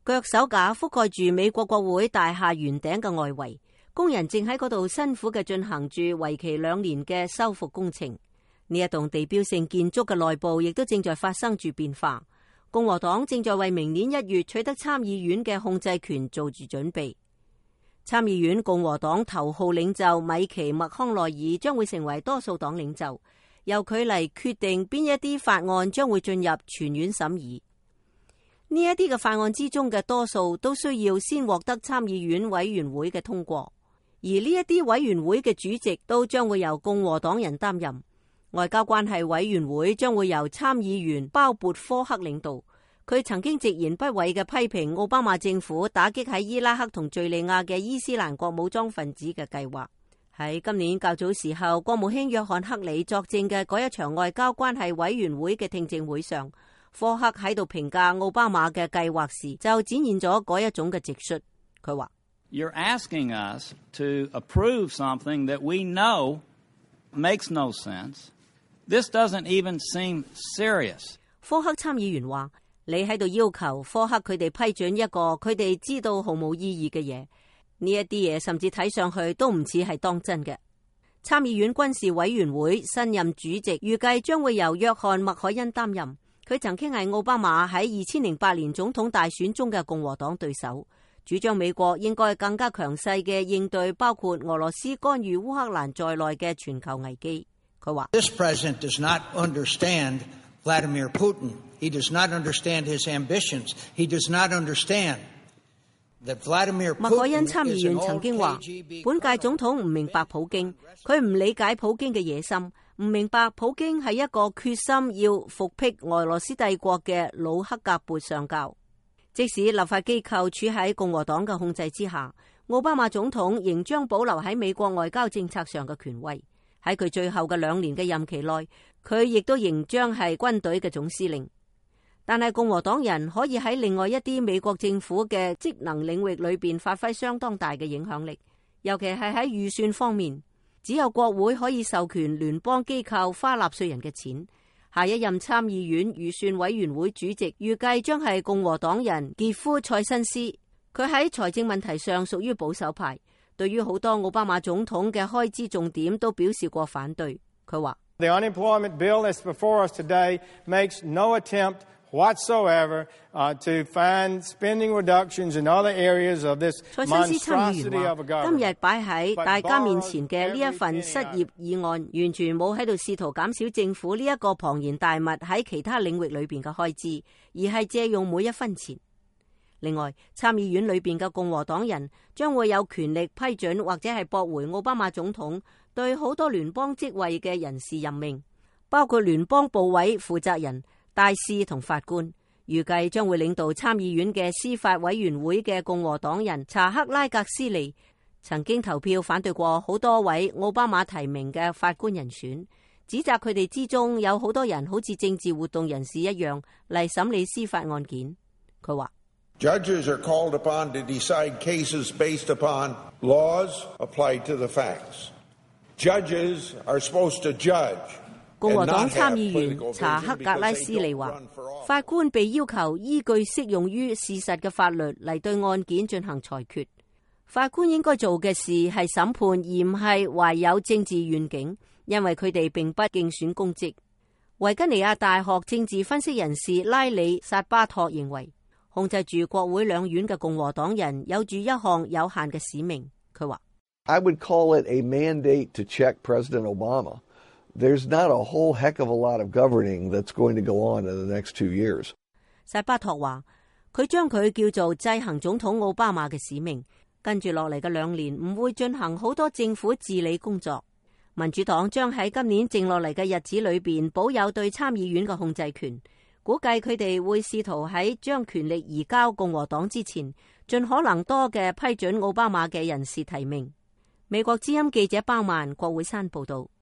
腳手架覆蓋住美國國會大廈圓頂嘅外圍，工人正喺嗰度辛苦嘅進行住為期2年嘅修復工程。呢一棟地標性建築嘅內部亦都正在發生住變化。共和黨正在為明年1月取得參議院嘅控制權做住準備。參議院共和黨頭號領袖米奇麥康奈爾將會成為多數黨領袖，由佢嚟決定邊一啲法案將會進入全院審議。呢一啲嘅法案之中嘅多數都需要先獲得參議院委員會嘅通過，而呢一啲委員會嘅主席都將會由共和黨人擔任。外交關係委員會將會由參議員鮑勃科克領導。佢曾經直言不諱嘅批評奧巴馬政府打擊喺伊拉克同敘利亞嘅伊斯蘭國武裝分子嘅計劃。喺今年較早時候，國務卿約翰克里作證嘅嗰一場外交關係委員會嘅聽證會上，科克喺度評價奧巴馬嘅計劃時，就展現咗嗰一種嘅直率。佢話：You're asking us to approve something that we know makes no sense. This doesn't even seem serious. 科克參議員話：你喺度要求科克佢哋批准一個佢哋知道毫無意義嘅嘢，呢一啲嘢甚至睇上去都唔似係當真嘅。參議院軍事委員會新任主席預計將會由約翰麥凱恩擔任，佢曾經係奧巴馬喺2008年總統大選中嘅共和黨對手，主張美國應該更加強勢嘅應對包括俄羅斯干預烏克蘭在內嘅全球危機。佢話：This president does not understand Vladimir Putin. He does not understand his ambitions. He does not understand that Vladimir Putin is an old KGB. 麥凱恩參議員曾經話：本屆總統唔明白普京，佢唔理解普京嘅野心，唔明白普京係一個決心要復辟俄羅斯帝國嘅老克格勃上校。即使立法機構處喺共和黨嘅控制之下，奧巴馬總統仍將保留喺美國外交政策上嘅權威。喺佢最後嘅2年嘅任期內，佢亦都仍將係軍隊嘅總司令。但係共和黨人可以喺另外一啲美國政府嘅職能領域裏邊發揮相當大嘅影響力，尤其係喺預算方面，只有國會可以授權聯邦機構花納稅人嘅錢。下一任參議院預算委員會主席預計將係共和黨人傑夫塞辛斯，佢喺財政問題上屬於保守派，對於好多奧巴馬總統嘅開支重點都表示過反對。佢話：The unemployment bill that's before us today makes no attempt whatsoever to find spending reductions in other areas of this monstrosity of a government. 今日擺喺大家面前嘅呢一份失業議案，完全冇喺度試圖減少政府呢一個龐然大物喺其他領域裏邊嘅開支，而係借用每一分錢。另外，參議院裏邊嘅共和黨人將會有權力批准或者係駁回奧巴馬總統對好多聯邦職位嘅人事任命，包括聯邦部委負責人、大使同法官。預計將會領導參議院嘅司法委員會嘅共和黨人查克拉格斯利曾經投票反對過好多位奧巴馬提名嘅法官人選，指責佢哋之中有好多人好似政治活動人士一樣嚟審理司法案件。佢話：Judges are called upon to decide cases based upon laws applied to the facts. Judges are supposed to judge. 共和黨參議員查克格拉斯利話：法官被要求依據適用於事實嘅法律嚟對案件進行裁決。法官應該做嘅事係審判，而唔係懷有政治願景，因為佢哋並不競選公職。維吉尼亞大學政治分析人士拉里薩巴托認為，控制住國會兩院嘅共和黨人有住一項有限嘅使命。佢話：I would call it a mandate to check President Obama.There's not a whole heck of a lot of governing that's going to go on in the next 2 years. 薩巴托話，佢將佢叫做制衡總統奧巴馬嘅使命，跟住落嚟嘅2年唔會進行好多政府治理工作。民主黨將喺今年剩落嚟嘅日子裏邊保有對參議院嘅控制權，估計佢哋會試圖喺將權力移交共和黨之前，盡可能多嘅批准奧巴馬嘅人事提名。美國之音記者包曼，國會山報道。